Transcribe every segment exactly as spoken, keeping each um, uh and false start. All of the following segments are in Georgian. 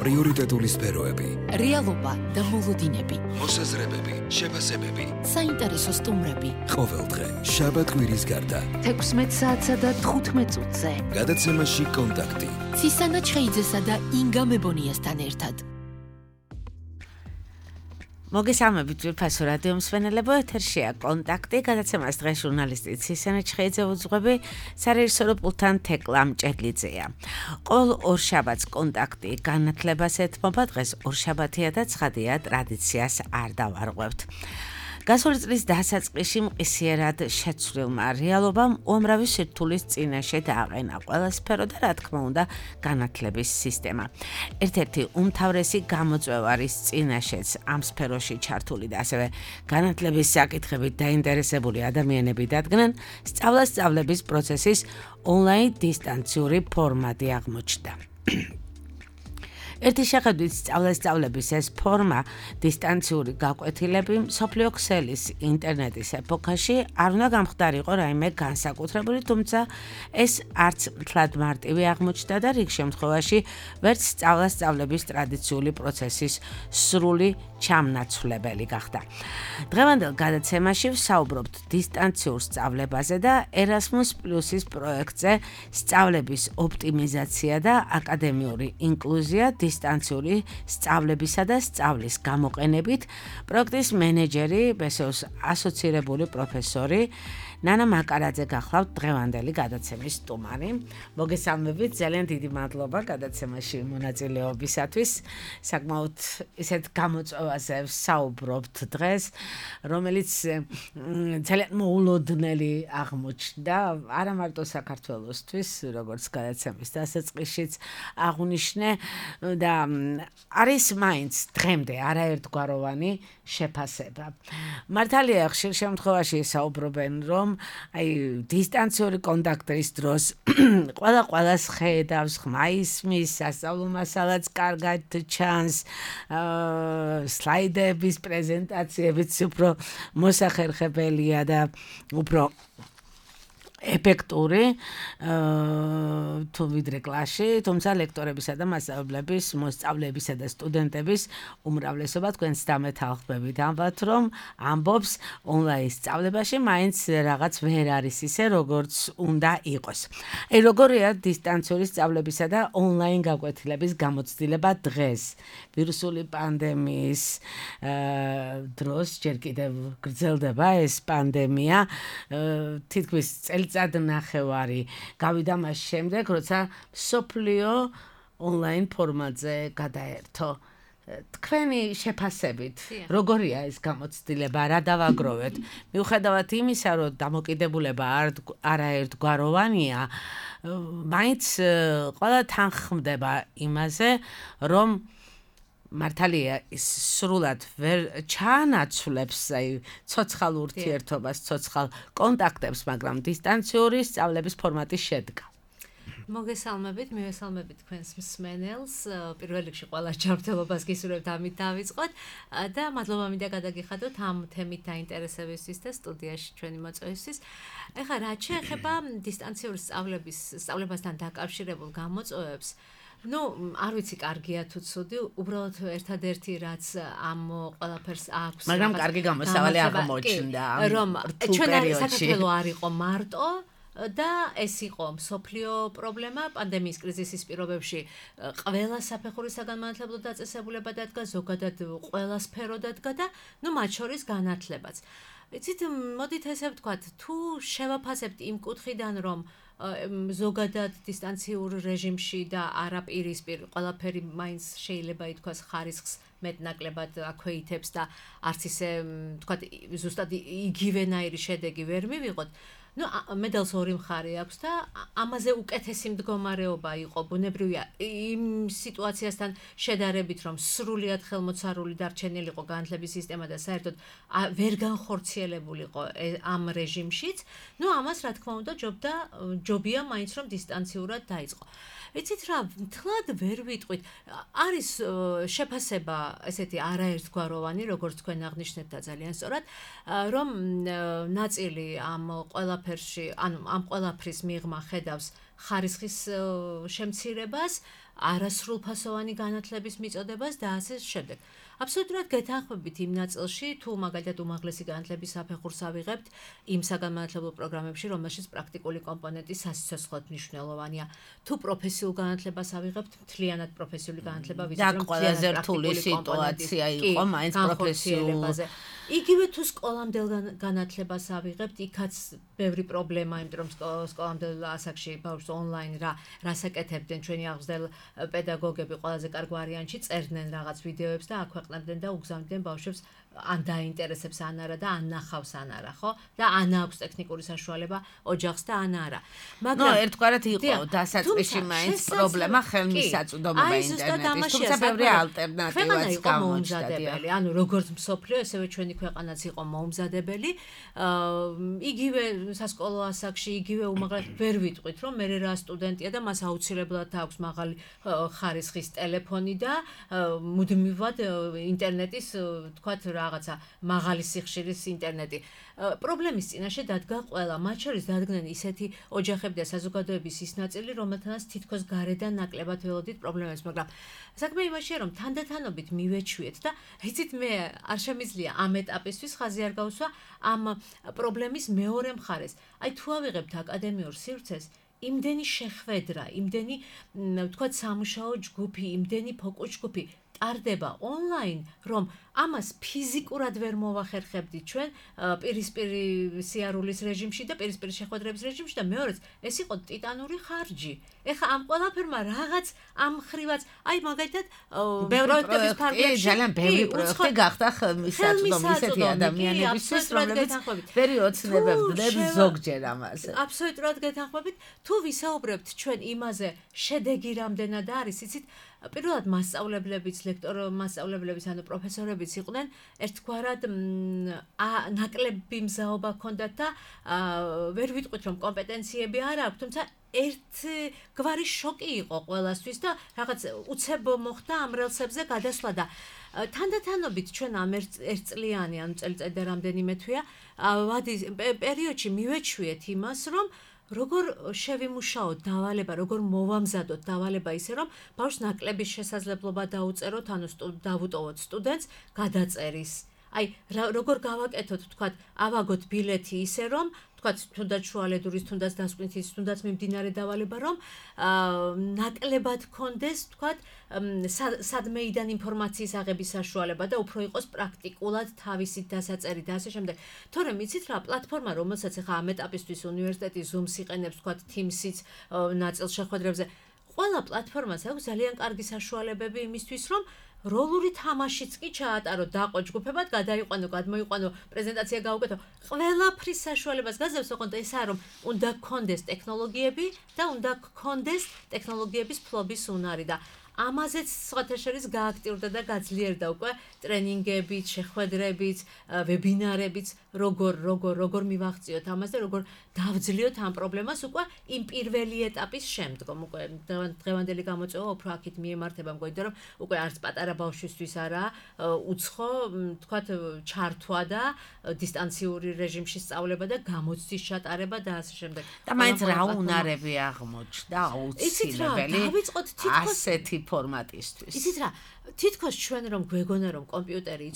პრიორიტეტული სფეროები, რეალობა და მოლოდინები, მოსაზრებები, შეფასებები, საინტერესო სტუმრები. ყოველდღე შაბათ-კვირის გარდა თექვსმეტ საათსა და თხუთმეტ წუთზე. გადაცემაში კონტაქტი. ცისანა ჩხეიძესა და ინგა მებონიასთან ერთად. მოგესალმებით ძვირფასო რადიო მსმენელებო, ეთერშია კონტაქტი, გადაცემას დღეს ჟურნალისტი ცისანა ჩხეიძე უძღვები, სარეჟისორო პულტთან თეკლა მჭედლიძეა. ყოველ ორშაბათს კონტაქტი განათლებას ეთმობა, დღეს ორშაბათია და ცხადია ტრადიციას არ დავარღვევთ. გასული წლის დასაწყისში მყისიერად შეცვლილმა რეალობამ უამრავი სირთულის წინაშე დააყენა ყველა სფერო და რა თქმა უნდა განათლების სისტემა. ერთ-ერთი უმთავრესი გამოწვევა არის წინაშეც ამ სფეროში ჩართული და ასევე განათლების საკითხებით დაინტერესებული ადამიანები დადგნენ, სწავლა-სწავლების პროცესის ონლაინ დისტანციური ფორმატი აღმოჩნდა. ერთი შეხედვით სწავლა-სწავლების ეს ფორმა დისტანციური გაკვეთილები მსოფლიო ქსელის ინტერნეტის ეპოქაში არ უნდა გამხდარიყო რაიმე განსაკუთრებული, თუმცა ეს არც მთლად მარტივი აღმოჩნდა და რიგ შემთხვევაში ვერც სწავლა-სწავლების ტრადიციული პროცესის სრული ჩამნაცვლებელი გახდა. დღევანდელ გადაცემაში ვსაუბრობთ დისტანციურ სწავლებაზე და Erasmus Plus-ის პროექტზე სწავლების ოპტიმიზაცია და აკადემიური ინკლუზია დისტანციური სწავლებისა და სწავლის გამოყენებით პროექტის მენეჯერი, ბესოს ასოცირებული პროფესორი ნანა მაკარაძე გახლავთ დღევანდელი გადაცემის სტუმარი. მოგესალმებით, ძალიან დიდი მადლობა გადაცემაში მონაწილეობისათვის. საკმაოდ ისეთ გამოწვევაზე ვსაუბრობთ დღეს, რომელიც ძალიან მოულოდნელი აღმოჩნდა, არა მარტო საქართველოსთვის, როგორც გადაცემის დასაწყისშიც აღვნიშნე და არის მაინც დღემდე არაერთგვაროვანი შეფასება. მართალია ხშირ შემთხვევაში საუბრობენ, რომ აი დისტანციური კონტაქტის დროს ყველა ყველას ხედავს, ხმა ისმის, სასწავლო მასალაც კარგად ჩანს, სლაიდების პრეზენტაციებიც უფრო მოსახერხებელია და უფრო ეფექტური თუ ვიდრე კლასში, თუმცა ლექტორებისა და მასწავლებლების, მოსწავლეებისა და სტუდენტების უმრავლესობა თქვენს დამეთანხმებით ამბობთ, რომ ამბობს ონლაინ სწავლებაში მაინც რაღაც ვერ არის ისე, როგორც უნდა იყოს. აი როგორია დისტანციური სწავლებისა და ონლაინ გაკვეთილების გამოცდილება დღეს, ვირუსული პანდემიის დროს, ჯერ კიდევ გრძელდება ეს პანდემია, თითქმის წელიწად ნახევარი გავიდა მას შემდეგ, როცა მსოფლიო ონლაინ ფორმატზე გადაერთო. თქვენი შეფასებით, როგორია ეს გამოცდილება, რა დავაგროვეთ? მიუხედავად იმისა, რომ დამოკიდებულება არაერთგვაროვანია, მაინც ყველა თანხმდება იმაზე, რომ მართალია ის სრულად ვერ ჩაანაცვლებს აი ცოცხალ ურთიერთობას, ცოცხალ კონტაქტებს, მაგრამ დისტანციური სწავლების ფორმატი შედგა. მოგესალმებით, მივესალმებით თქვენს მსმენელს. პირველ რიგში ყველა ჯანმრთელობას გისურვებთ, ამით დავიწყოთ და მადლობა მინდა გადაგიხადოთ ამ თემით დაინტერესებისთვის და სტუდიაში ჩვენი მოწვევისთვის. ეხლა რაც შეეხება დისტანციური სწავლების სწავლებასთან დაკავშირებულ გამოწვევებს, ну, არ ვიცი კარგია თუ ცუდი, უბრალოდ ერთადერთი რაც ამ ყველაფერს აქვს. მაგრამ კარგი გამოსავალი აღმოჩნდა რომ ჩვენ საქართველოს არ იყო მარტო და ეს იყო მსოფლიო პრობლემა, პანდემიის კრიზისის პირობებში ყველა საფეხურისაგან განათლებლო დაწესებულება დადგა, ზოგადად ყველა სფერო დადგა და ну, მათ შორის განათლებაც. იცით, მოდით ესე ვთქვათ, თუ შევაფასებთ იმ კუთხიდან, რომ ზოგადად დისტანციურ რეჟიმში და არაპირისპირ ყველაფერი მაინც შეიძლება ითქვას ხარისხს მეტნაკლებად აქვეითებს და არც ისე ვთქვათ ზუსტად იგივენაირი შედეგი ვერ მივიღოთ. ну, медалს ორი მხარე აქვს და ამაზე უკეთესი მდგომარეობა იყო ბუნებრივია იმ სიტუაციასთან შედარებით, რომ სრულიად ხელმოცარული დარჩენილიყო განათლების სისტემა და საერთოდ ვერ განხორციელებულიყო ამ რეჟიმშიც. ну, ამას რა თქმა უნდა ჯობდა ჯობია მაინც რომ დისტანციურად დაიწყო. ვიცით რა, მთლად ვერ ვიტყვით. არის შეფასება ესეთი არაერთგვაროვანი, როგორც თქვენ აღნიშნეთ და ძალიან სწორად, რომ ნაწილი ამ ყველაფერში, ანუ ამ ყველაფრის მიღმა ხედავს ხარისხის შემცირებას, არასრულფასოვანი განათლების მიწოდებას და ასე შემდეგ. აბსოლუტურად გეთანხმებით იმ ნაწილში, თუ მაგალითად უმაღლესი განათლების საფეხურს ავიღებთ იმ საგანმანათლებლო პროგრამებში, რომელშიც პრაქტიკული კომპონენტი სასიცოცხლოდ მნიშვნელოვანია. თუ პროფესიულ განათლებას ავიღებთ, მთლიანად პროფესიული განათლება ვიცით, რომ ყველაზე რთული სიტუაცია იყო მაინც პროფესიულებაზე. იგივე თუ სკოლამდელ განათლებას ავიღებთ, იქაც ბევრი პრობლემაა, იმიტომ რომ სკოლამდელ ასაკში ბავშვს ონლაინ რა რასაკეთებდნენ ჩვენი აღზრდელ პედაგოგები ყველაზე კარგ ვარიანტში წერდნენ რაღაც ვიდეოებს და აქვეყნებდნენ და უგზავნიდნენ ბავშვებს ან დაინტერესებს ან არა და ან ნახავს ან არა, ხო? და ან აქვს ტექნიკური საშუალება ოჯახს და ან არა. მაგრამ ნუ ერთგვარად იყო დასაწყისში მაინც პრობლემა ხელმისაწვდომობა ინტერნეტის, თუმცა ბევრი ალტერნატივაც გამოჩნდა. ანუ როგორც მსოფლიო, ესევე ჩვენი ქვეყანაც იყო მოუმზადებელი. იგივე სასკოლო ასაკში, იგივე უმაღლეს ვერ ვიტყვით, რომ მე რა სტუდენტია და მას აუცილებლად აქვს მაღალი ხარისხის ტელეფონი და მუდმივად ინტერნეტის, თქვათ, რაღაცა მაღალი სიხშირის ინტერნეტი. პრობლემის წინაშე დადგა ყველა, მათ შორის დადგნენ ისეთი ოჯახები და საზოგადოების ის ნაწილი, რომელთანაც თითქოს გარედან ნაკლებად ველოდით პრობლემებს, მაგრამ საქმე იმაშია, რომ თანდათანობით მივეჩვიეთ და იცით მე არ შემიძლია ამ ეტაპისთვის ხაზი არ გავსვა ამ პრობლემის მეორე მხარეს. აი თუ ავიღებთ აკადემიურ სივრცეს, იმდენი შეხვედრა, იმდენი თქვათ სამუშაო ჯგუფი, იმდენი ფოკუს ჯგუფი ტარდება ონლაინ, რომ ამას ფიზიკურად ვერ მოვახერხებდით ჩვენ პირისპირი სიარულის რეჟიმში და პირისპირი შეხვედრების რეჟიმში და მეორეც ეს იყო ტიტანური ხარჯი. ეხა ამ ყველაფერმა რაღაც ამ ხრივაც, აი მაგალითად პროექტების ფარგლებში ძალიან ბევრი პროექტი გახდა ხელმისაწვდომი ისეთი ადამიანებისთვის, რომლებიც პერიოდსნებებდნენ ზოგჯერ ამას. აბსოლუტურად გეთანხმებით, თუ ვისაუბრებთ ჩვენ იმაზე, შედეგი რამდენად არის, იცით, პირველად მასწავლებლებიც, ლექტორო მასწავლებლებიც, ანუ პროფესორებიც იყვნენ, ერთგვარად ნაკლები მზაობა ჰქონდათ და ვერ ვიტყვით, რომ კომპეტენციები არ აქვს, თუმცა ერთგვარი შოკი იყო ყველასთვის და რაღაც უცებ მოხდა ამ რელსებზე გადასვლა და თანდათანობით ჩვენ ამ ერთწლიანი, ანუ წელიწადი და რამდენიმე თვეა, ვადის პერიოდში მივეჩვიეთ იმას, რომ როგორ შევიმუშაოთ დავალება, როგორ მოვამზადოთ დავალება ისე, რომ ბავშვს ნაკლების შესაძლებლობა დაუწეროთ, ანუ დავუტოვოთ სტუდენტს გადაწერის. აი, როგორ გავაკეთოთ, თქვათ, ავაგოთ ბილეთი ისე, რომ თქვათ, თუნდაც შუალედურის, თუნდაც დასკვნითის, თუნდაც მიმდინარე დავალება, რომ ნაკლებად გქონდეს, თქვათ, სადმეიდან ინფორმაციის აღების საშუალება და უფრო იყოს პრაქტიკულად თავისით დასაწერი და ასე შემდეგ. თორემ იცით რა, პლატფორმა, რომელსაც ახლა ამ ეტაპისთვის უნივერსიტეტი Zoom-ს იყენებს, თქვათ, Teams-იც ნაწილ შეხვედრებზე, ყველა პლატფორმას აქვს ძალიან კარგი საშუალებები იმისთვის, რომ როლური თამაშიც კი ჩაატარო, დაყო ჯგუფებად, გადაიყვანო, გადმოიყვანო, პრეზენტაცია გაუკეთო. ყველაფრის საშუალებას გაძლევს, ოღონდ ესაა, რომ უნდა გქონდეს ტექნოლოგიები და უნდა გქონდეს ტექნოლოგიების ფლობის უნარი და ამაზეც სხვათა შორის გააქტიურდა და გაძლიერდა უკვე ტრენინგებით, შეხვედრებით, ვებინარებით, როგორ როგორ როგორ მივაღწიოთ ამას და როგორ დავძლიოთ ამ პრობლემას უკვე იმ პირველი ეტაპის შემდგომ. უკვე დღევანდელი გამოწვევა უფრო აქით მიემართება, მგონი რომ უკვე არც პატარა ბავშვისთვის არა უცხო, თქვათ, ჩართვა და დისტანციური რეჟიმში სწავლება და გამოცდის ჩატარება და ასე შემდეგ. და მაინც რა უნარები აღმოჩნდა აუცილებელი ასეთი ფორმატისთვის. იცით რა, თითქოს ჩვენ რომ გვეგონა რომ კომპიუტერი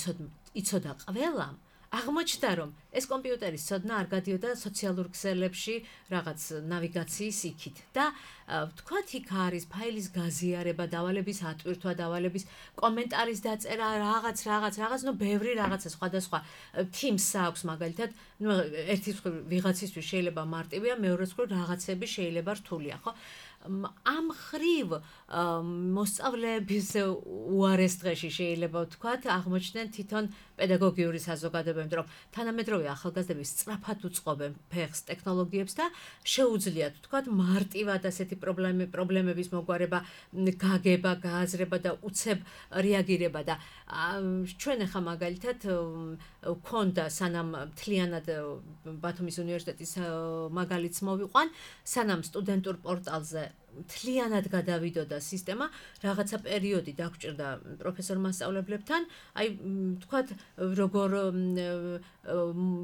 იცოდა ყველამ, აღმოჩნდა რომ ეს კომპიუტერის ცოდნა არ გადიოდა სოციალურ ქსელებში რაღაც ნავიგაციის იქით და თქვათ იქ არის ფაილის გაზიარება, დავალების ატვირთვა, დავალების კომენტარის დაწერა, რაღაც რაღაც რაღაც, ნუ ბევრი რაღაცა სხვადასხვა Teams-ს აქვს მაგალითად, ნუ ერთის ვიღაცისთვის შეიძლება მარტივია, მეორეს მხრივ რაღაცები შეიძლება რთულია, ხო? ამ ხრივ მოსწავლეების უარეს დღეში შეიძლება ვთქვათ, აღმოჩნდნენ თვითონ პედაგოგიური საზოგადოებები, რომ თანამედროვე ახალგაზრდები სწრაფად უწყობენ ფეხს ტექნოლოგიებს და შეუძლიათ ვთქვათ მარტივად ასეთი პრობლემები, პრობლემების მოგვარება, გაგება, გააზრება და უცებ რეაგირება და ჩვენ ახლა მაგალითად ვქონდა სანამ მთლიანად ბათუმის უნივერსიტეტის მაგალითს მოვიყვან, სანამ სტუდენტურ პორტალზე მთლიანად გადავიდოდა სისტემა, რაღაცა პერიოდი დაგჭირდა პროფესორ მასწავლებლებთან, აი თქვათ როგორ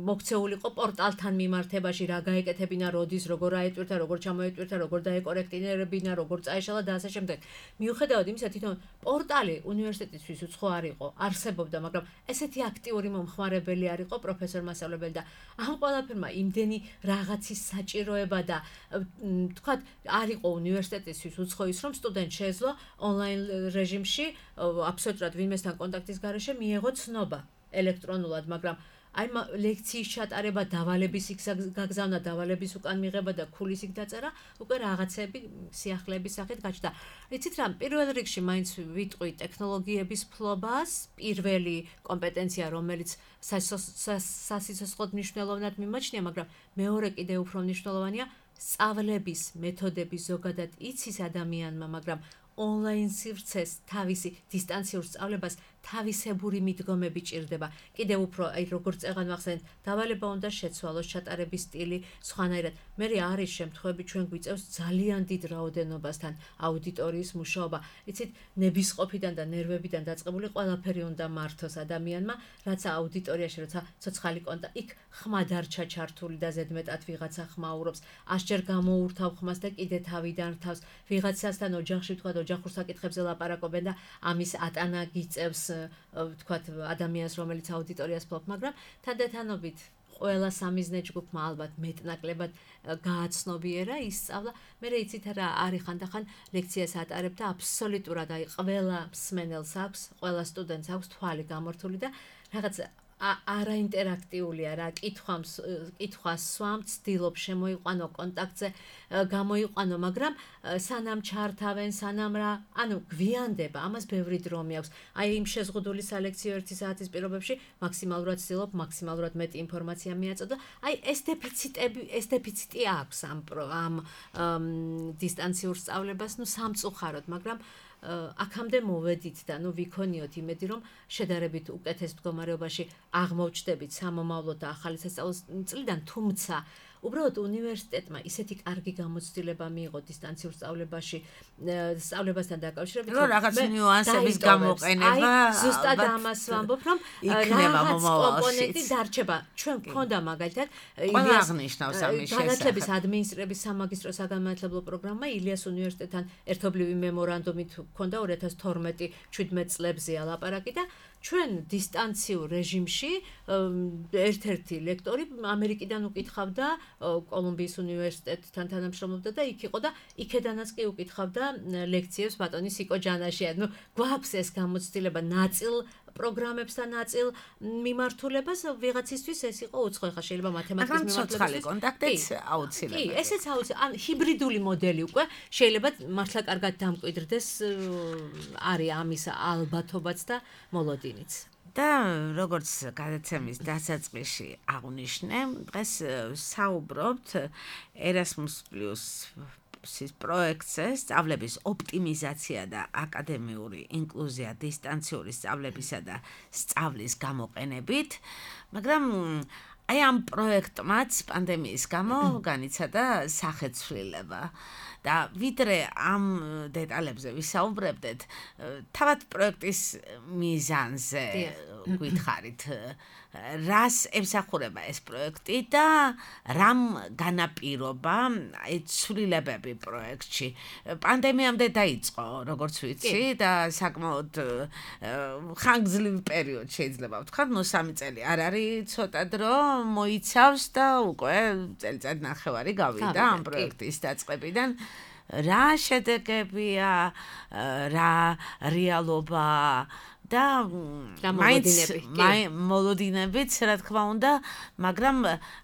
მოქცეულიყო პორტალთან მიმართებაში, რა გაეკეთებინა, როდის, როგორ აეტვირთა, როგორ ჩამოეტვირთა, როგორ დაეკორექტირებინა, როგორ წაეშალა და ასე შემდეგ. მიუხედავად იმისა, თვითონ პორტალი უნივერსიტეტისთვის უცხო არ იყო, არსებობდა, მაგრამ ესეთი აქტიური მომხმარებელი არ იყო პროფესორ მასწავლებელი და ამ ყველაფერმა იმდენი რაღაცის საჭიროება და თქვათ არ იყო უნივერსიტეტისთვის უცხო ის, რომ სტუდენტ შეეძლო ონლაინ რეჟიმში აბსოლუტურად ვინმესთან კონტაქტის გარეშე მიეღო ცნობა ელექტრონულად, მაგრამ აი ლექციის ჩატარება, დავალების იქ გაგზავნა, დავალების უკან მიღება და ქულის იქ დაწერა, უკვე რაღაცები სიახლეების სახით გაჩნდა. იცით რა, პირველ რიგში მაინც ვიტყვი ტექნოლოგიების ფლობას, პირველი კომპეტენცია, რომელიც სასიცოცხლოდ მნიშვნელოვნად მიმაჩნია, მაგრამ მეორე კიდე უფრო მნიშვნელოვანია სწავლების მეთოდები ზოგადად იცის ადამიანმა, მაგრამ ონლაინ სივრცეს თავისი დისტანციურ სწავლებას თავისებური მიდგომები ჭირდება. კიდევ უფრო, აი როგორც წეღან ვახსენეთ, დავალება უნდა შეცვალოს, ჩატარების სტილი სხვანაირად. მე არის შემთხვევები ჩვენ გვიწევს ძალიან დიდ რაოდენობასთან აუდიტორიის მუშაობა. იცით, ნებისყოფიდან და ნერვებიდან დაწყებული ყველაფერი უნდა მართოს ადამიანმა, რაც აუდიტორიაში, როცა ცოცხალი კონტა, იქ ხმა დარჩა ჩართული და ზედმეტად ვიღაცა ხმაურობს, ასჯერ გამოურთავ ხმას და კიდე თავიდან რთავს. ვიღაცასთან ოჯახში თქვა ოჯახურ საკითხებზე ლაპარაკობენ და ამის ატანა გიწევს თქვათ ადამიანს, რომელიც აუდიტორიას ფლობს, მაგრამ თანდათანობით ყველა სამიზნე ჯგუფმა ალბათ მეტნაკლებად გააცნობიერა, ისწავლა. მე იცით რა არის ხანდახან ლექციას ატარებ და აბსოლუტურად აი ყველა მსმენელს აქვს, ყველა სტუდენტს აქვს თვალი გამორთული და რაღაც არაინტერაქტიულია რა, კითხვას კითხვას სვამ, ცდილობ შემოიყვანო კონტაქტზე, გამოიყვანო, მაგრამ სანამ ჩართავენ, სანამ რა, ანუ გვიანდება, ამას ბევრი დრო მიაქვს. აი იმ შეზღუდული სალექციო ერთი საათის პირობებში მაქსიმალურად ცდილობ, მაქსიმალურად მეტი ინფორმაცია მიაწოდო. აი ეს დეფიციტები, ეს დეფიციტი აქვს ამ ამ დისტანციურ სწავლებას, ნუ სამწუხაროდ, მაგრამ აქამდე მოვედით და ნუ ვიქონიოთ იმედი, რომ შედარებით უკეთეს მდგომარეობაში აღმოჩნდებით სამომავლოდ და ახალი სასწავლო წლიდან, თუმცა უბრალოდ უნივერსიტეტმა ისეთი კარგი გამოცდილება მიიღო დისტანციურ სწავლებაში, სწავლებასთან დაკავშირებით, რომ რაღაც ნიუანსების გამოყენება, ზუსტად ამას ვამბობ, რომ რაღაც კომპონენტი დარჩება. ჩვენ გქონდა მაგალითად ილიას აღნიშნავს ამის შესახებ. განათლების ადმინისტრების სამაგისტრო საგანმანათლებლო პროგრამა ილიას უნივერსიტეტთან ერთობლივი მემორანდუმით გქონდა ორი ათას თორმეტი შვიდმეტ წლებზეა ლაპარაკი და ჩვენ დისტანციურ რეჟიმში ერთ-ერთი ლექტორი ამერიკიდან უკითხავდა, კოლუმბიის უნივერსიტეტთან თანამშრომლობდა და იქ იყო და იქედანაც კი უკითხავდა ლექციებს ბატონი სიკო ჯანაშია. ნუ გვაქვს ეს გამოცდილება ნაწილ პროგრამებსთან ნაწილ მიმართულებას, ვიღაცისთვის ეს იყო უცხო, ხა შეიძლება მათემატიკის მიმართულებით კონტაქტიც აუცილებელი. კი, ესეც აუცილებელი. ან ჰიბრიდული მოდელი უკვე შეიძლება მართლა კარგად დამკვიდრდეს, არის ამის ალბათობაც და მოლოდინიც. და როგორც გადაცემის დასაწყისში აღვნიშნე, დღეს საუბრობთ Erasmus Plus ის პროექტზე, სწავლების ოპტიმიზაცია და აკადემიური ინკლუზია დისტანციური სწავლებისა და სწავლის გამოყენებით, მაგრამ აი ამ პროექტმაც პანდემიის გამო განიცადა სახეცვლილება. და ვიდრე ამ დეტალებზე ვისაუბრებდეთ, თავად პროექტის მიზანზე გითხარით, რას ემსახურება ეს პროექტი და რამ განაპირობა აი ცვლილებები პროექტში. პანდემიამდე დაიწყო, როგორც ვიცი, და საკმაოდ ხანგრძლივი პერიოდი შეიძლება ვთქვათ, ნუ სამი წელი არ არის ცოტა დრო მოიცავს და უკვე წელიწად ნახევარი გავიდა ამ პროექტის დაწყებიდან. რა შედეგებია, რა რეალობა და მაინც მოლოდინებიც, რა თქმა უნდა, მაგრამ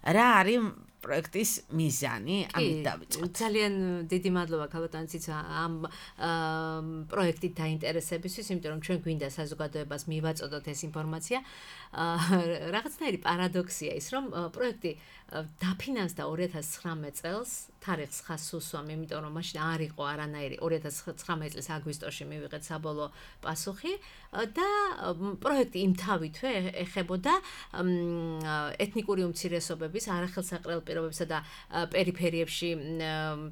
რა არის პროექტის მიზანი, ამით დავიწყოთ. ძალიან დიდი მადლობა ქალბატონიციც ამ პროექტით დაინტერესებისთვის, იმიტომ რომ ჩვენ გვინდა საზოგადოებას მივაწოდოთ ეს ინფორმაცია. რაღაცნაირი პარადოქსია ის, რომ პროექტი დაფინანსდა ორი ათას ცხრამეტ წელს, თარიღს ხას უსვამ, იმიტომ რომ მაშინ არ იყო არანაირი ორი ათას ცხრამეტ წლის აგვისტოში მივიღეთ საბოლოო პასუხი და პროექტი იმთავითვე ეხებოდა ეთნიკური უმცირესობების, არახელსაყრელ პირობებსა და პერიფერიებში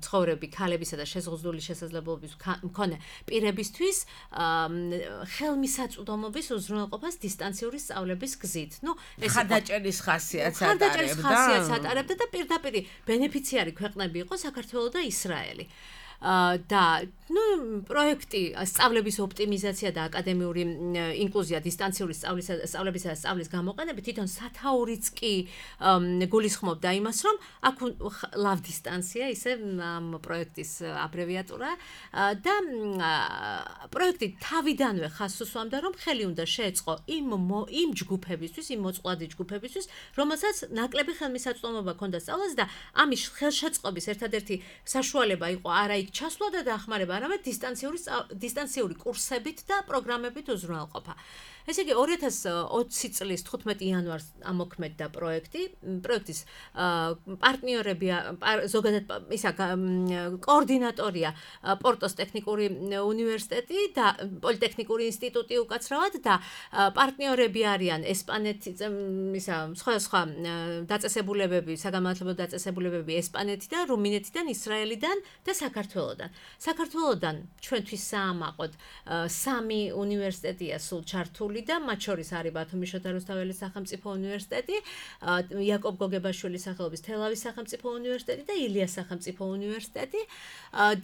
ცხოვრები ქალებისა და შეზღუდული შესაძლებლობების მქონე პირებისთვის ხელმისაწვდომობის უზრუნველყოფას დისტანციური სწავლების გზით. ნუ ეს ხარდაჭერის ხასიათს ხარდაჭერის ხასიათს ატარებდა და პირდაპირ ბენეფიციარი ქვეყნები იყო საქართველო და ისრაელი. და ნუ პროექტი სწავლების ოპტიმიზაცია და აკადემიური ინკლუზია დისტანციური სწავლისა სწავლებისა და სწავლის გამოყენებით თვითონ სათაურიც კი გულისხმობდა იმას, რომ აქ ლავ დისტანცია, ისე ამ პროექტის აბრევიატურა და პროექტი თავიდანვე ხაზს უსვამდა, რომ ხელი უნდა შეეწყო იმ იმ ჯგუფებისთვის, იმ მოწყვლადი ჯგუფებისთვის, რომელსაც ნაკლები ხელმისაწვდომობა ჰქონდა სწავლაზე და ამის ხელშეწყობის ერთადერთი საშუალება იყო არა იქ ჩასვლა და დახმარება, არამედ დისტანციური დისტანციური კურსებით და პროგრამებით უზრუნველყოფა. ესე იგი ორი ათას ოცი წლის თხუთმეტი იანვარს ამოქმედდა პროექტი. პროექტის პარტნიორები ზოგადად ისა კოორდინატორია პორტოს ტექნიკური უნივერსიტეტი და პოლიტექნიკური ინსტიტუტი უკაცრავად და პარტნიორები არიან ესპანეთი ისა სხვადასხვა დაწესებულებები, საგანმანათლებლო დაწესებულებები ესპანეთიდან, რუმინეთიდან, ისრაელიდან და საქართველოდან. საქართველოდან ჩვენთვის საამაყოდ სამი უნივერსიტეტია სულ ჩართული და მათ შორის არის ბათუმის შოთა რუსთაველის სახელმწიფო უნივერსიტეტი, იაკობ გოგებაშვილის სახელობის თელავის სახელმწიფო უნივერსიტეტი და ილიას სახელმწიფო უნივერსიტეტი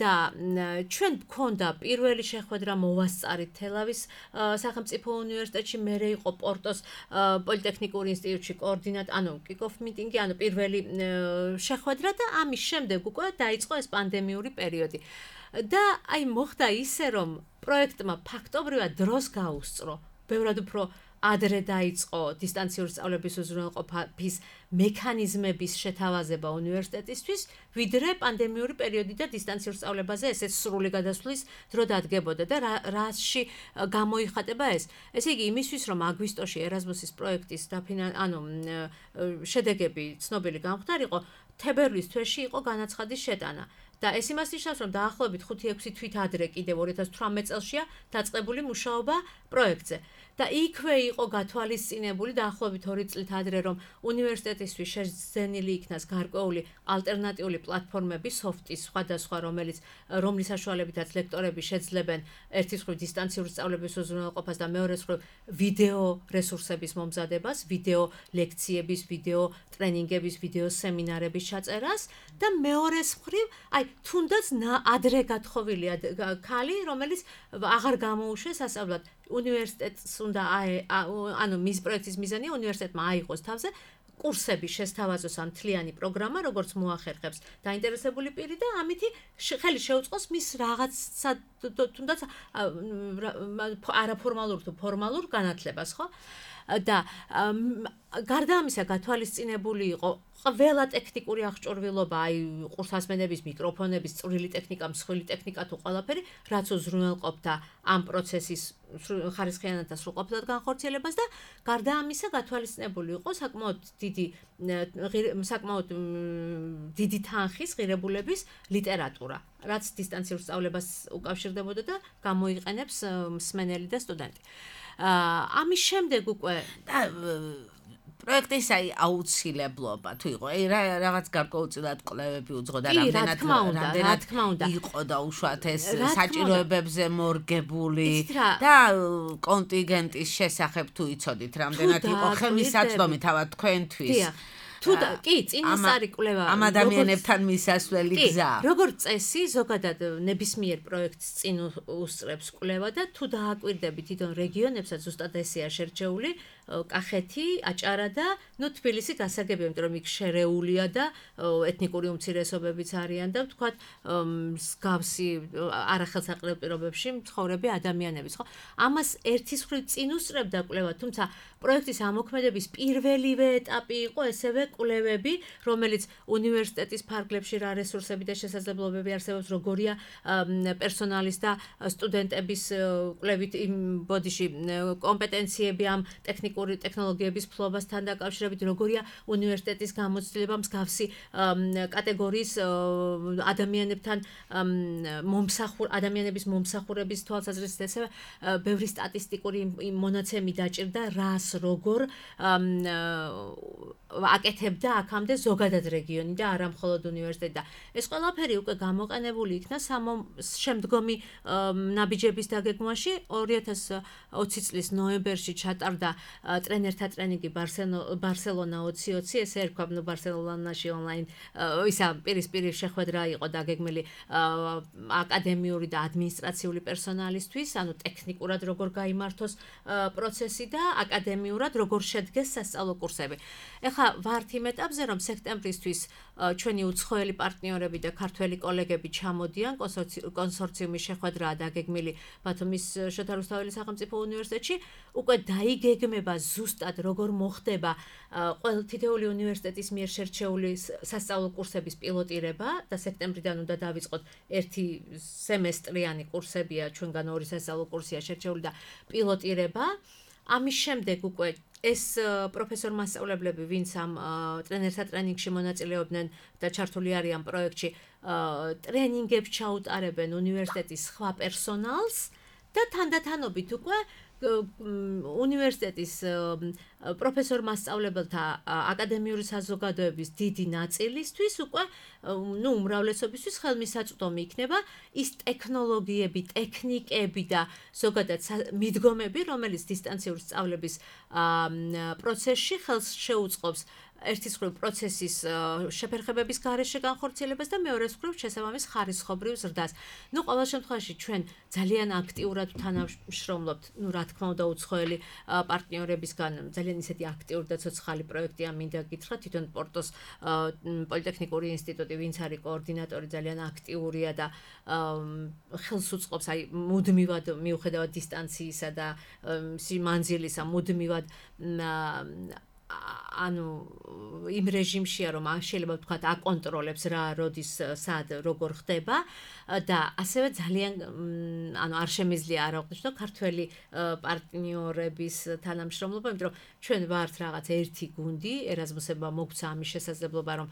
და ჩვენ გქონდა პირველი შეხვედრა მოვასწარით თელავის სახელმწიფო უნივერსიტეტში, მერე იყო პორტოს პოლიტექნიკური ინსტიტუტში კოორდინატ, ანუ kick-off meeting-ი, ანუ პირველი შეხვედრა და ამის შემდეგ უკვე დაიწყო ეს პანდემიური პერიოდი. და აი მოხდა ისე, რომ პროექტმა ფაქტობრივად დროს გაუსწრო. ბევრად უფრო ადრე დაიწყო დისტანციური სწავლების უზრუნველყოფის მექანიზმების შეთავაზება უნივერსიტეტისთვის, ვიდრე პანდემიური პერიოდი და დისტანციურ სწავლებაზე ესეც სრული გადასვლის დრო დადგებოდა და რაში გამოიხატება ეს. ესე იგი, იმისთვის, რომ აგვისტოში ერაზმუსის პროექტის ანუ შედეგები ცნობილი გამხდარიყო, თებერვლის თვეში იყო განაცხადის შეტანა. და ეს იმას ნიშნავს, რომ დაახლოებით ხუთი ექვსი თვით ადრე კიდევ ორი ათას თვრამეტ წელშია დაწყებული მუშაობა პროექტზე. და იქვე იყო გათვალისწინებული დაახლოებით ორი წლით ადრე, რომ უნივერსიტეტისთვის შეძენილი იქნას გარკვეული ალტერნატიული პლატფორმები, სოფტის სხვადასხვა, რომელიც რომლის საშუალებითაც ლექტორები შეძლებენ ერთის მხრივ დისტანციური სწავლების უზრუნველყოფას და მეორეს მხრივ ვიდეო რესურსების მომზადებას, ვიდეო ლექციების, ვიდეო ტრენინგების, ვიდეო სემინარების ჩაწერას და მეორეს მხრივ, აი თუნდაც ადრე გათხოვილია ქალი, რომელიც აღარ გამოუშვეს ასწავლად უნივერსიტეტს უნდა ანუ მის პროექტის მიზანია უნივერსიტეტმა აიღოს თავზე კურსები შესთავაზოს ამ თლიანი პროგრამა, როგორც მოახერხებს დაინტერესებული პირი და ამითი ხელი შეუწყოს მის რაღაცა თუნდაც არაფორმალურ თუ ფორმალურ განათლებას, ხო? და გარდა ამისა გათვალისწინებული იყო ყველა ტექნიკური აღჭურვილობა, აი ყურსასმენების, მიკროფონების, წვრილი ტექნიკა, მსხვილი ტექნიკა თუ ყველაფერი, რაც უზრუნველყოფდა ამ პროცესის ხარისხიანად და სრულყოფილად განხორციელებას და გარდა ამისა გათვალისწინებული იყო საკმაოდ დიდი საკმაოდ დიდი თანხის ღირებულების ლიტერატურა, რაც დისტანციურ სწავლებას უკავშირდებოდა და გამოიყენებს მსმენელი და სტუდენტი. ამის შემდეგ უკვე პროექტის აი აუცილებლობა თუ იყო, აი რაღაც გარკვეულწილად კვლევები უძღოდა, რამდენად რამდენად იყო და უშუალოდ ეს საჭიროებებზე მორგებული და კონტინგენტის შესახებ თუ იცოდით, რამდენად იყო ხელმისაწვდომი თავად თქვენთვის. თუ კი, წინასწარი კვლევა ამ ადამიანებთან მისასვლელი გზა. როგორც წესი, ზოგადად ნებისმიერ პროექტს წინ უსწრებს კვლევა და თუ დააკვირდებით თვითონ რეგიონებსაც, ზუსტად ესეა შერჩეული, კახეთი, აჭარა და ნუ თბილისი გასაგებია, იმიტომ რომ იქ შერეულია და ეთნიკური უმცირესობებიც არიან და ვთქვათ, მსგავსი არახელსაყრელ პირობებში მცხოვრები ადამიანებიც, ხო? ამას ერთის მხრივ წინ უსწრებდა კვლევა, თუმცა პროექტის ამოქმედების პირველივე ეტაპი იყო ესევე კვლევები, რომელიც უნივერსიტეტის ფარგლებში რა რესურსები და შესაძლებლობები არსებობს, როგორია პერსონალის და სტუდენტების კვლევით იმ ბოდიში კომპეტენციები ამ ტექნიკური ტექნოლოგიების ფლობასთან დაკავშირებით, როგორია უნივერსიტეტის გამოცდილება მსგავსი კატეგორიის ადამიანებთან მომსახურ ადამიანების მომსახურების თვალსაზრისით ესე ბევრი სტატისტიკური მონაცემი დაჭირდა რას როგორ აკეთებდა აქამდე ზოგადად რეგიონი და არა მხოლოდ უნივერსიტეტი და ეს ყველაფერი უკვე გამოყენებული იქნა შემდგომი ნაბიჯების დაგეგმვაში ორი ათას ოცი წლის ნოემბერში ჩატარდა ტრენერთა ტრენინგი ბარსელონა ოცი ოცი ესე ერქვა ნუ ბარსელონაში ონლაინ ისა პირისპირ შეხვედრა იყო დაგეგმილი აკადემიური და ადმინისტრაციული პერსონალისთვის ანუ ტექნიკურად როგორ გაიმართოს პროცესი და აკადემიურად როგორ შედგეს სასწავლო კურსები. ეხლა ვართ იმ ეტაპზე რომ სექტემბრისთვის ჩვენი უცხოელი პარტნიორები და ქართველი კოლეგები ჩამოდიან კონსორციუმის შეხვედრაა დაგეგმილი ბათუმის შოთა რუსთაველის სახელმწიფო უნივერსიტეტში უკვე დაიგეგმება ზუსტად როგორ მოხდება ყველა თითოეული უნივერსიტეტის მიერ შერჩეული სასწავლო კურსების პილოტირება და სექტემბრიდან უნდა დავიწყოთ ერთი სემესტრიანი კურსებია ჩვენგან ორი სასწავლო კურსია შერჩეული და პილოტირება ამის შემდეგ უკვე ეს პროფესორ მასწავლებლები ვინც ამ ტრენერთა ტრენინგში მონაწილეობდნენ და ჩართული არიან პროექტში ტრენინგებს ჩაუტარებენ უნივერსიტეტის სხვა პერსონალს და თანდათანობით უკვე უნივერსიტეტის პროფესორ მასწავლებელთა აკადემიური საზოგადოების დიდი ნაწილისთვის უკვე ნუ უმრავლესობისთვის ხელმისაწვდომი იქნება ის ტექნოლოგიები, ტექნიკები და ზოგადად მიდგომები, რომელიც დისტანციური სწავლების პროცესში ხელს შეუწყობს ერთის მხრივ პროცესის შეფერხებების გარეშე განხორციელებას და მეორეს მხრივ შესაბამის ხარისხობრივ ზრდას. ნუ ყოველ შემთხვევაში ჩვენ ძალიან აქტიურად თანამშრომლობთ, ნუ რა თქმა უნდა უცხოელი პარტნიორებისგან ძალიან ისეთი აქტიური და ცოცხალი პროექტია მინდა გითხრა თვითონ პორტოს პოლიტექნიკური ინსტიტუტი ვინც არის კოორდინატორი ძალიან აქტიურია და ხელს უწყობს აი მუდმივად მიუხედავად დისტანციისა და მანძილისა მუდმივად ანუ იმ რეჟიმშია რომ შეიძლება ვთქვათ აკონტროლებს რა როდის სად როგორ ხდება და ასევე ძალიან ანუ არ შემიძლია არ აღვნიშნო რომ ქართველი პარტნიორების თანამშრომლობა, იმიტომ რომ ჩვენ ვართ რაღაც ერთი გუნდი, ერაზმუსებმა მოგცა ამის შესაძლებლობა რომ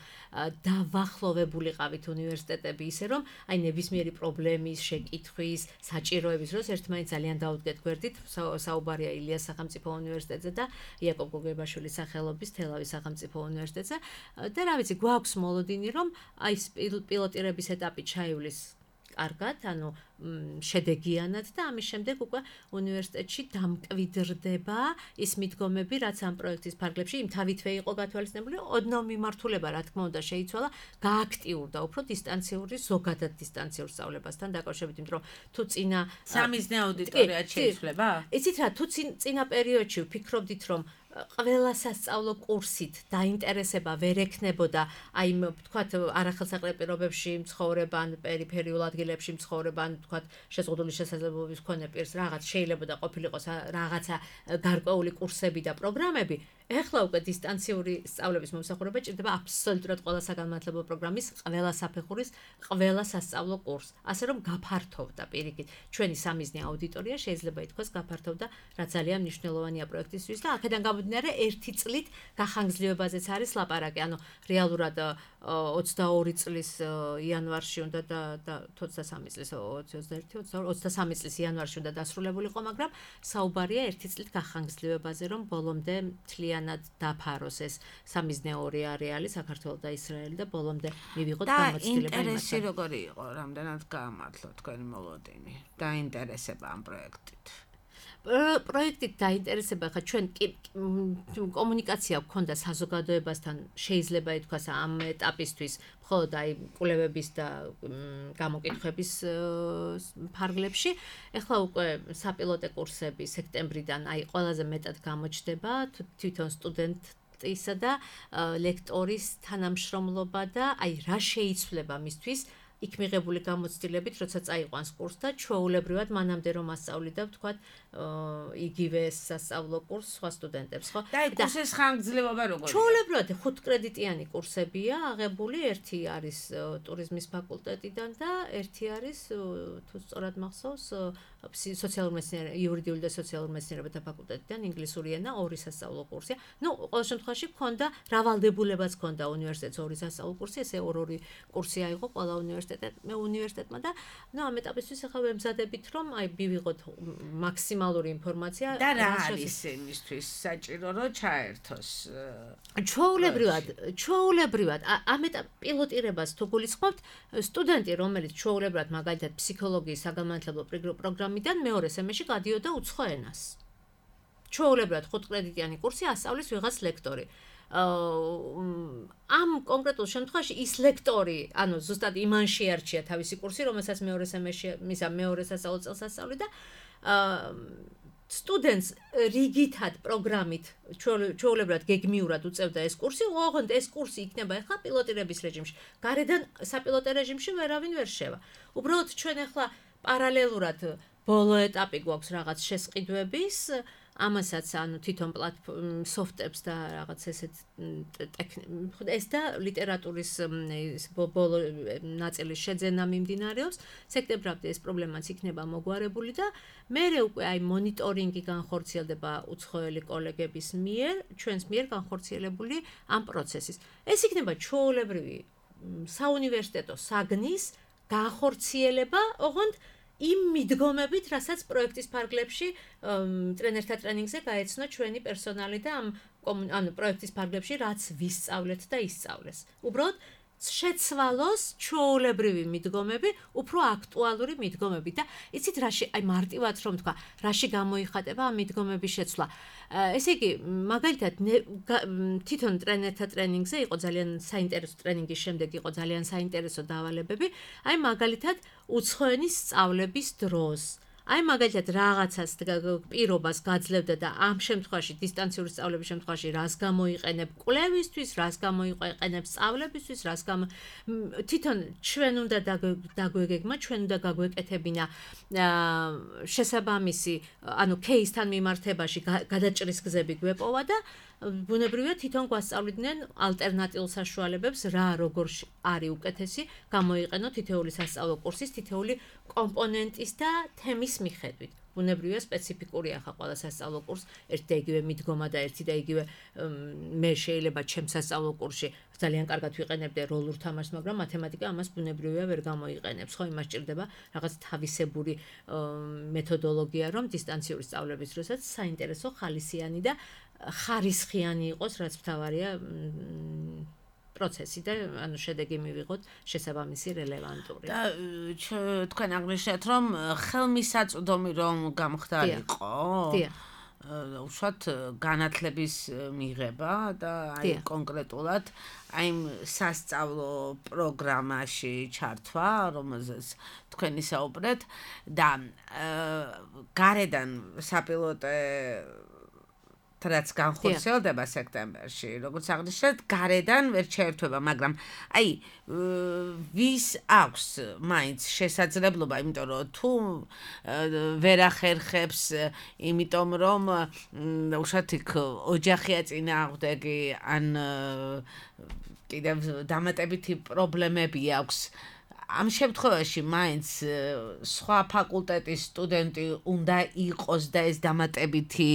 დავახლოვებულიყავით უნივერსიტეტები ისე რომ აი ნებისმიერი პრობლემის, შეკითხვის, საჭიროების დროს ერთმანეთს ძალიან დაუდგეთ გვერდით, საუბარია ილიას სახელმწიფო უნივერსიტეტზე და იაკობ გოგებაშვილის სახელობის თელავის სახელმწიფო უნივერსიტეტზე და რა ვიცი, გვაქვს მოლოდინი რომ აი პილოტირების ეტაპი ჩაივლის კარგად, ანუ შედეგიანად და ამის შემდეგ უკვე უნივერსიტეტში დამკვიდრდება ის მიდგომები, რაც ამ პროექტის ფარგლებში იმ თავითვე იყო გათვალისწინებული, ოდნავ მიმართულება, რა თქმა უნდა, შეიცვალა, გააქტიურდა უფრო დისტანციური, ზოგადად დისტანციურ სწავლებასთან დაკავშირებით, იმიტომ რომ თუ წინა სამიზნე აუდიტორია შეიცვლება? იცით რა, თუ წინა პერიოდში ვფიქრობდით, რომ ყველა სასწავლო კურსით დაინტერესება ვერ ექნებოდა აი ვთქვათ არახელსაყრელ პირობებში მცხოვრება ან პერიფერიულ ადგილებში მცხოვრება ან ვთქვათ შეზღუდული შესაძლებლობების მქონე პირს რაღაც შეიძლება და ყოფილიყოს რაღაცა გარკვეული კურსები და პროგრამები ეხლა უკვე დისტანციური სწავლების მომსახურება ჭირდება აბსოლუტურად ყველა საგანმანათლებლო პროგრამის ყველა საფეხურის ყველა სასწავლო კურსს ასე რომ გაფართოვდა პირიქით ჩვენი სამიზნე აუდიტორია შეიძლება ითქვას გაფართოვდა რაც ძალიან მნიშვნელოვანია პროექტისთვის და აქედან გამომდინარე ერთი წლით გახანგრძლივებაზეც არის ლაპარაკი ანუ რეალურად ოცდაორი წლის იანვარში უნდა და ოცდასამი წლის ოცდაერთი ოცდასამი წლის იანვარში უნდა დასრულებულიყო მაგრამ საუბარია ერთი წლით გახანგრძლივებაზე რომ ბოლომდე მთლიანად დაფაროს ეს სამიზნეური არეალი საქართველოს და ისრაელი და ბოლომდე მივიღოთ გამოცდილება და ინტერესი როგორი იყო რამდენად გაამართლო თქვენი მოლოდინი და ინტერესება ამ პროექტით პროექტით დაინტერესება ხა ჩვენ კომუნიკაცია გქონდა საზოგადოებასთან შეიძლება ითქვას ამ ეტაპისთვის მხოლოდ აი კვლევების და გამოკითხვების ფარგლებში ეხლა უკვე საპილოტე კურსები სექტემბრიდან აი ყველაზე მეტად გამოჩნდება თვითონ სტუდენტისა და ლექტორის თანამშრომლობა და აი რა შეიცვლება მისთვის იქ მიღებული გამოცდილებით, როცა წაიყვანს კურსს და ჩვეულებრივად მანამდე რომ ასწავლიდა, ვთქვათ, იგივე სასწავლო კურსს სხვა სტუდენტებს, ხო? და კურსის ხანგრძლივობა როგორია? ჩვეულებრივად ხუთ კრედიტიანი კურსებია აღებული, ერთი არის ტურიზმის ფაკულტეტიდან და ერთი არის თუ სწორად მახსოვს სოციალურ მეცნიერებათა, იურიდიული და სოციალურ მეცნიერებათა ფაკულტეტიდან ინგლისური ენა ორი სასწავლო კურსია. ნუ ყოველ შემთხვევაში გქონდა რავალდებულებაც გქონდა უნივერსიტეტს ორი სასწავლო კურსი, ესე ორ-ორი კურსი აიღო ყველა უნივერსიტეტმა, უნივერსიტეტმა და ნუ ამ ეტაპისთვის ახლა ვემზადებით, რომ აი მივიღოთ მაქსიმალური ინფორმაცია და რა არის იმისთვის საჭირო რომ ჩაერთოს? ჩვეულებრივად, ჩვეულებრივად ამ ეტაპ პილოტირებას თუ გულისხმობთ, სტუდენტი, რომელიც ჩვეულებრივად მაგალითად ფსიქოლოგიის საგანმანათლებლო პროგრამიდან მეორე სემესტრში გადიოდა უცხო ენას. ჩვეულებრივად ხუთ კრედიტიანი კურსი ასწავლის ვიღაც ლექტორი. ამ კონკრეტულ შემთხვევაში ის ლექტორი, ანუ ზუსტად იმან შეარჩია თავისი კურსი, რომელსაც მეორე სემესტრში, მისა მეორე სასწავლო წელს ასწავლიდა და სტუდენტს რიგითად პროგრამით ჩვეულებრივად გეგმიურად უწევდა ეს კურსი, ოღონდ ეს კურსი იქნება ახლა პილოტირების რეჟიმში. გარედან საპილოტო რეჟიმში ვერავინ ვერ შევა. უბრალოდ ჩვენ ახლა პარალელურად ბოლო ეტაპი გვაქვს რაღაც შესყიდვების, ამასაც ანუ თვითონ პლატფორმ სოფტებს და რაღაც ესეთ ეს და ლიტერატურის ბოლო ნაწილის შეძენა მიმდინარეობს. სექტემბრამდე ეს პრობლემაც იქნება მოგვარებული და მერე უკვე აი მონიტორინგი განხორციელდება უცხოელი კოლეგების მიერ, ჩვენს მიერ განხორციელებული ამ პროცესის. ეს იქნება ჩვეულებრივი საუნივერსიტეტო საგნის განხორციელება, ოღონდ იმ მიდგომებით, რასაც პროექტის ფარგლებში ტრენერთა ტრენინგზე გაეცნო ჩვენი პერსონალი და ამ ანუ პროექტის ფარგლებში რაც ვისწავლეთ და ისწავლეს. უბრალოდ შეცვალოს ჩვეულებრივი მიდგომები, უფრო აქტუალური მიდგომები და იცით რაში, აი მარტივად რომ თქვა, რაში გამოიხატება ამ მიდგომების შეცვლა. ესე იგი, მაგალითად თვითონ ტრენერთა ტრენინგზე იყო ძალიან საინტერესო ტრენინგის შემდეგ იყო ძალიან საინტერესო დავალებები, აი მაგალითად უცხოენის სწავლების დროს. აი მაგალითად რაღაცას პირობას გაძლევდა და ამ შემთხვევაში დისტანციური სწავლების შემთხვევაში რას გამოიყენებ კვლევისთვის, რას გამოიყენებ სწავლებისთვის, რას გამო თვითონ ჩვენ უნდა დაგვეგეგმა, ჩვენ უნდა გაგვეკეთებინა შესაბამისი, ანუ кейსთან მიმართებაში გადაჭრის გზები გვეპოვა და ბუნებრივია თვითონ გვასწავლიდნენ ალტერნატიულ საშუალებებს, რა როგორ არის უკეთესი გამოიყენო თითოეული სასწავლო კურსის თითოეული კომპონენტის და თემის მიხედვით. ბუნებრივია სპეციფიკური ახლა ყველა სასწავლო კურს ერთი და იგივე მიდგომა და ერთი და იგივე მე შეიძლება ჩემს სასწავლო კურსში ძალიან კარგად ვიყენებდე როლურ თამაშს, მაგრამ მათემატიკა ამას ბუნებრივია ვერ გამოიყენებს. ხო, იმას ჭირდება რაღაც თავისებური მეთოდოლოგია, რომ დისტანციური სწავლების დროსაც საინტერესო ხალისიანი და ხარისხიანი იყოს, რაც მთავარია პროცესი და ანუ შედეგი მივიღოთ შესაბამისი რელევანტური. და თქვენ აღნიშნეთ, რომ ხელმისაწვდომი რომ გამხდარიყო. დიახ. უშუალოდ განათლების მიღება და აი კონკრეტულად აი სასწავლო პროგრამაში ჩართვა, რომელზეც თქვენ ისაუბრეთ და გარედან საპილოტე რაც განხორციელდება სექტემბერში, როგორც აღნიშნეთ, გარედან ვერ შეერთვება, მაგრამ აი ვის აქვს მაინც შესაძლებლობა, იმიტომ რომ თუ ვერ ახერხებს, იმიტომ რომ უშუალოდ იქ ოჯახია წინააღმდეგი, ან კიდევ დამატებითი პრობლემები აქვს. ამ შემთხვევაში მაინც სხვა ფაკულტეტის სტუდენტი უნდა იყოს და ეს დამატებითი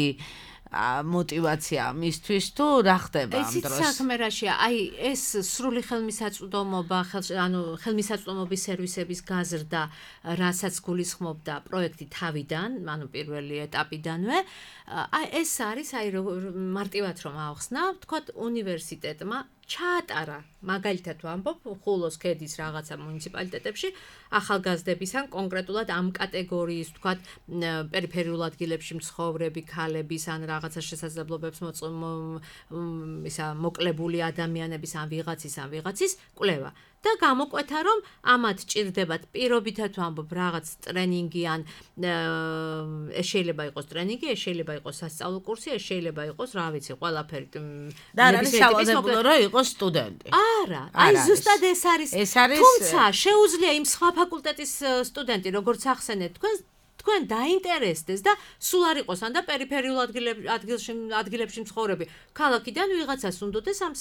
мотивация მისთვის თუ რა ხდება ამ დროს? ეს საქმე რაშია? აი ეს სრული ხელმისაწვდომობა, ანუ ხელმისაწვდომობის სერვისების გაზრდა, რასაც გულისხმობდა პროექტი თავიდან, ანუ პირველი ეტაპიდანვე, აი ეს არის აი მარტივად რომ ავხსნა, ვთქვათ, უნივერსიტეტმა ჩაატარა, მაგალითად ვამბობ, ხულოს ქედის რაღაცა მუნიციპალიტეტებში ახალგაზრდების ან კონკრეტულად ამ კატეგორიის, ვთქვათ, პერიფერიულ ადგილებში მცხოვრები ქალების ან რაღაცა შესაძლებლობებს ისა მოკლებული ადამიანების ან ვიღაცის ან ვიღაცის კვლევა. და გამოკვეთა რომ ამათ ჭირდებათ პირობითად ვამბობ რაღაც ტრენინგი ან ეს შეიძლება იყოს ტრენინგი, ეს შეიძლება იყოს სასწავლო კურსი, ეს შეიძლება იყოს რა ვიცი, ყველაფერი. და არ არის სავალდებულო რომ იყოს სტუდენტი. არა, აი ზუსტად ეს არის. თუმცა შეუძლია იმ სხვა ფაკულტეტის სტუდენტი, როგორც ახსენეთ თქვენ თქვენ დაინტერესდეს და სულ არ იყოს ან და პერიფერიულ ადგილებში ადგილებში მცხოვრები ქალაქიდან ვიღაცას უნდოდეს ამ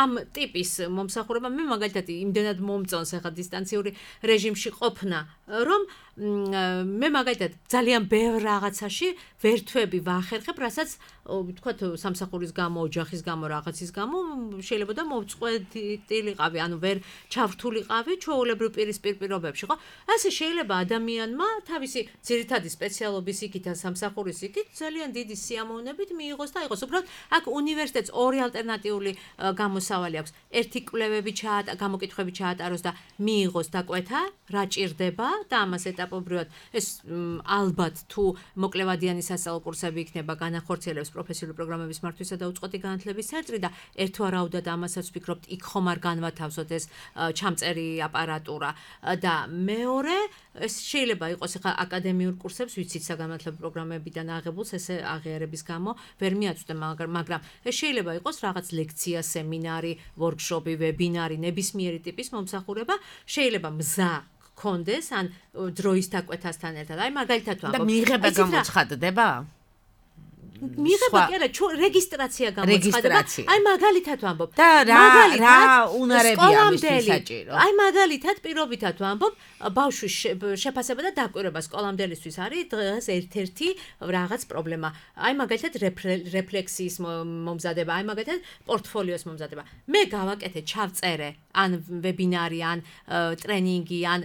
ამ ტიპის მომსახურება. მე მაგალითად იმდენად მომწონს ახლა დისტანციური რეჟიმში ყოფნა, რომ მე მაგალითად ძალიან ბევრ რაღაცაში ვერთვები ვახერხებ, რასაც ვთქვათ სამსახურის გამო, ოჯახის გამო, რაღაცის გამო შეიძლება და მოვწყვეტილიყავი, ანუ ვერ ჩავრთულიყავი ჩვეულებრივ პირისპირ პირობებში, ხო? ასე შეიძლება ადამიანმა თავისი ძირითადი სპეციალობის იქით ან სამსახურის იქით ძალიან დიდი სიამოვნებით მიიღოს და იყოს. უბრალოდ აქ უნივერსიტეტს ორი ალტერნატიული გამოსავალი აქვს. ერთი კვლევები ჩაატა, გამოკითხვები ჩაატაროს და მიიღოს დაკვეთა, რა ჭირდება და ამას ეტაპობრივად ეს ალბათ თუ მოკლევადიანი სასწავლო კურსები იქნება განახორციელებს პროფესიული პროგრამების მართვისა და უწყვეტი განათლების ცენტრი და ერთვარაუდად ამასაც ვფიქრობთ იქ ხომ არ განვათავსოთ ეს ჩამწერი აპარატურა და მეორე ეს შეიძლება იყოს ახლა აკადემიურ კურსებს ვიცით საგანმანათლებლო პროგრამებიდან აღებულს ესე აღიარების გამო ვერ მიაწვდე, მაგრამ ეს შეიძლება იყოს რაღაც ლექცია, სემინარი, ვორქშოპი, ვებინარი, ნებისმიერი ტიპის მომსახურება, შეიძლება მზა კონდეს ან დროის დაკვეთასთან ერთად. აი მაგალითად ვამბობ. და მიიღება გამოცხადდება? მიიღება კი არა, რეგისტრაცია გამოცხადდება. აი მაგალითად ვამბობ. და რა რა უნარებია ამისთვის საჭირო? აი მაგალითად პირობითად ვამბობ, ბავშვის შეფასება და დაკვირვება სკოლამდელისთვის არის დღეს ერთ-ერთი რაღაც პრობლემა. აი მაგალითად რეფლექსიის მომზადება, აი მაგალითად პორტფოლიოს მომზადება. მე გავაკეთე, ჩავწერე ან ვებინარი, ან ტრენინგი, ან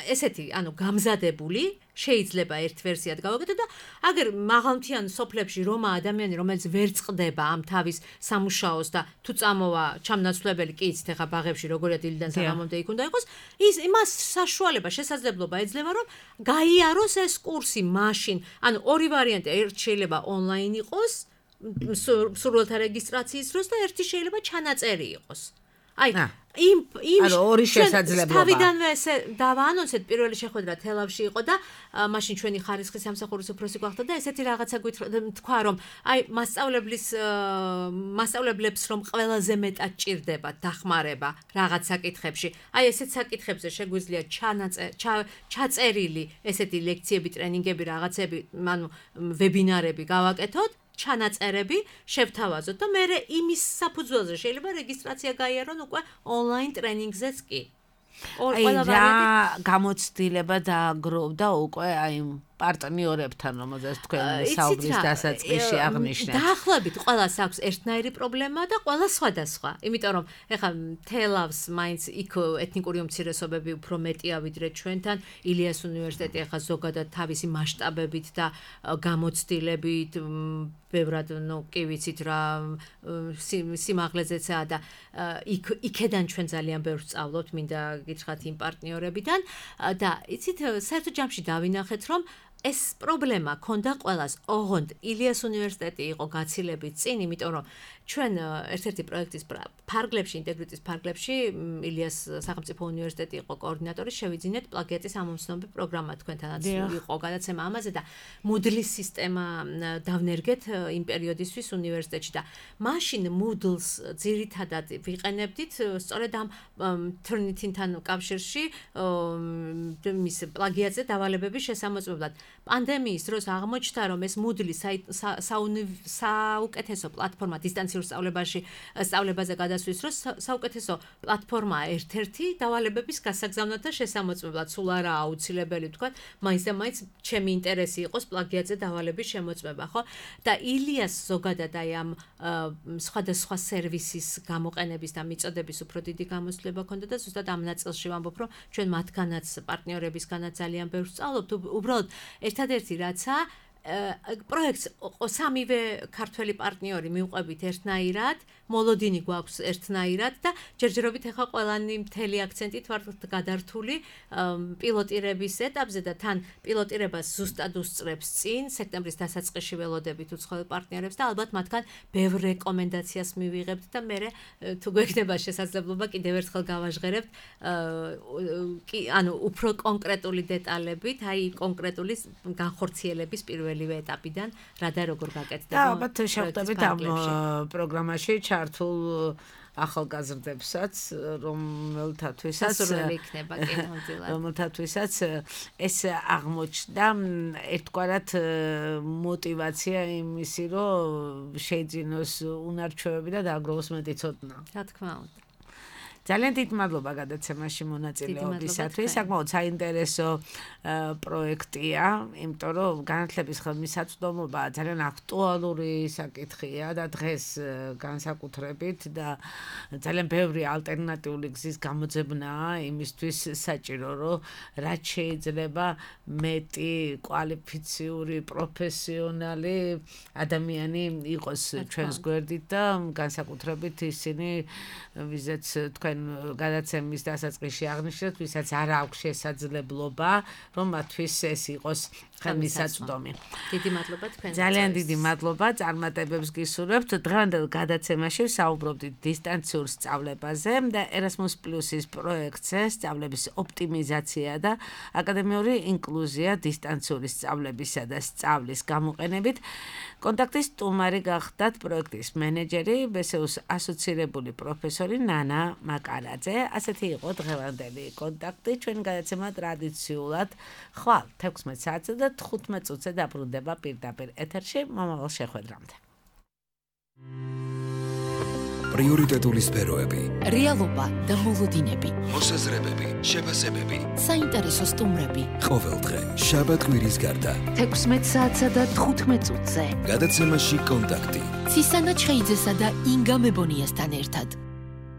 ესეთი, ანუ გამზადებული შეიძლება ერთ ვერსიად გავაკეთო და აგერ მაღალმთიან სოფლებში რომა ადამიანი რომელიც ვერ წყდება ამ თავის სამუშაოს და თუ წამოვა ჩამნაცვლებელი კი იცით ახლა ბაღებში როგორია დილიდან საღამომდე იქ უნდა იყოს ის იმას საშუალება შესაძლებლობა ეძლევა რომ გაიაროს ეს კურსი მაშინ ანუ ორი ვარიანტი ერთ შეიძლება ონლაინ იყოს სურვილთა რეგისტრაციის დროს და ერთი შეიძლება ჩანაწერი იყოს აი იმ იმ ორი შესაძლებლობა. თავიდანვე ესე დავაანონსეთ პირველი შეხვედრა თელავში იყო და მაშინ ჩვენი ხარისხის სამსახურის უფროსი გვახდა და ესეთი რაღაცა თქვა რომ აი მასწავლებლის მასწავლებლებს რომ ყველაზე მეტად ჭირდება დახმარება რაღაც საკითხებში. აი ესეთ საკითხებზე შეგვიძლია ჩაწერილი ესეთი ლექციები, ტრენინგები, რაღაცები, ანუ ვებინარები გავაკეთოთ. ჩანაწერები შევთავაზოთ და მე იმის საფუძველზე შეიძლება რეგისტრაცია გაიარონ უკვე ონლაინ ტრენინგზეც კი. აი რა გამოცდილება დააგროვდა უკვე აი პარტნიორებთან, რომელზეც თქვენ საუბრის დასაწყისში აღნიშნეთ. დაახლოებით ყველას აქვს ერთნაირი პრობლემა და ყველა სხვადასხვა. იმიტომ რომ ეხლა თელავს მაინც იქ ეთნიკური უმცირესობები უფრო მეტია ვიდრე ჩვენთან. ილიას უნივერსიტეტი ეხლა ზოგადად თავისი მასშტაბებით და გამოცდილებით ბევრად ნუ კი ვიცით რა სიმაღლეზეცაა და იქ იქედან ჩვენ ძალიან ბევრს სწავლობთ, მინდა გითხრათ იმ პარტნიორებიდან და იცით საერთო ჯამში დავინახეთ რომ ეს პრობლემა ქონდა ყველას. ოღონდ ილიას უნივერსიტეტი იყო გაცილებით წინ, იმიტომ რომ ჩვენ ერთ-ერთი პროექტის ფარგლებში, ინტეგრიტის ფარგლებში ილიას სახელმწიფო უნივერსიტეტი იყო კოორდინატორი, შევიძინეთ პლაგიატის ამომცნობი პროგრამა თქვენთანაც იყო გადაცემა ამაზე და Moodle-ის სისტემა დავნერგეთ იმ პერიოდისთვის უნივერსიტეტში და მაშინ Moodle-ს ძირითადად ვიყენებდით სწორედ ამ Turnitin-თან კავშირში მის პლაგიატზე დავალებების შესამოწმებლად. პანდემიის დროს აღმოჩნდა რომ ეს Moodle საუკეთესო პლატფორმა დისტანციურ სწავლებაში სწავლებაზე გადასვლის დროს საუკეთესო პლატფორმაა ერთ-ერთი დავალებების გასაგზავნად და შესამოწმებლად. სულ არაა აუცილებელი თქვა, მაინც და მაინც ჩემი ინტერესი იყოს პლაგიატზე დავალების შემოწმება, ხო? და ილიას ზოგადად აი ამ სხვადასხვა სერვისის გამოყენების და მიწოდების უფრო დიდი გამოცდილება ქონდა და ზუსტად ამ ნაწილში ვამბობ, რომ ჩვენ მათგანაც პარტნიორებისგანაც ძალიან ბევრს სწავლობთ. უბრალოდ ერთადერთი რაცა პროექტს სამივე ქართველი პარტნიორი მივყვებით ერთნაირად, მოლოდინი გვაქვს ერთნაირად და ჯერჯერობით ახლა ყველანი მთელი აქცენტით ვართ გადართული პილოტირების ეტაპზე და თან პილოტირებას ზუსტად უსწრებს წინ სექტემბრის დასაწყისში ველოდებით უცხოელ პარტნიორებს და ალბათ მათგან ბევრ რეკომენდაციას მივიღებთ და მე თუ გვექნება შესაძლებლობა კიდევ ერთხელ გავაჟღერებთ ანუ უფრო კონკრეტული დეტალებით, აი კონკრეტული განხორციელების პირველივე ეტაპიდან რა და როგორ გაკეთდება. და ალბათ შევხვდებით ამ პროგრამაში ჩართულ ახალგაზრდებსაც, რომელთათვისაც იქნება კინონძილად. რომელთათვისაც ეს აღმოჩნდა ერთგვარად мотиваცია იმისი, რომ შეიძინოს უნარჩვევები და დააგროვოს მეტი ცოდნა. რა თქმა უნდა. ძალიან დიდ მადლობა გადაცემაში მონაწილეობისათვის. საკმაოდ საინტერესო პროექტია, იმიტომ რომ განათლების ხელმისაწვდომობა ძალიან აქტუალური საკითხია და დღეს განსაკუთრებით და ძალიან ბევრი ალტერნატიული გზის გამოძებნაა იმისთვის საჭირო, რომ რაც შეიძლება მეტი კვალიფიციური, პროფესიონალი ადამიანი იყოს ჩვენს გვერდით და განსაკუთრებით ისინი, ვიზეც თქვენ გადაცემის დასაწყისში აღნიშნეთ, ვისაც არ აქვს შესაძლებლობა, რომ მათთვის ეს იყოს ხელმისაწვდომი. დიდი მადლობა თქვენ. ძალიან დიდი მადლობა, წარმატებებს გისურვებთ. დღევანდელ გადაცემაში ვსაუბრობდით დისტანციურ სწავლებაზე და Erasmus Plus-ის პროექტზე სწავლების ოპტიმიზაცია და აკადემიური ინკლუზია დისტანციური სწავლებისა და სწავლის გამოყენებით. კონტაქტის სტუმარი გახდათ პროექტის მენეჯერი, ბესეუს ასოცირებული პროფესორი ნანა მაკარაძე. ასეთი იყო დღევანდელი კონტაქტი. ჩვენი გადაცემა ტრადიციულად ხვალ თექვსმეტ საათზე და თხუთმეტ წუთზე დაბრუნდება პირდაპირ ეთერში. მომავალ შეხვედრამდე. პრიორიტეტული სფეროები, რეალობა და მოლოდინები, მოსაზრებები, შეფასებები, საინტერესო სტუმრები. ყოველდღე შაბათ კვირის გარდა თექვსმეტ საათსა და თხუთმეტ წუთზე. გადაცემაში კონტაქტი. ცისანა ჩხეიძესა და ინგა მებონიასთან ერთად.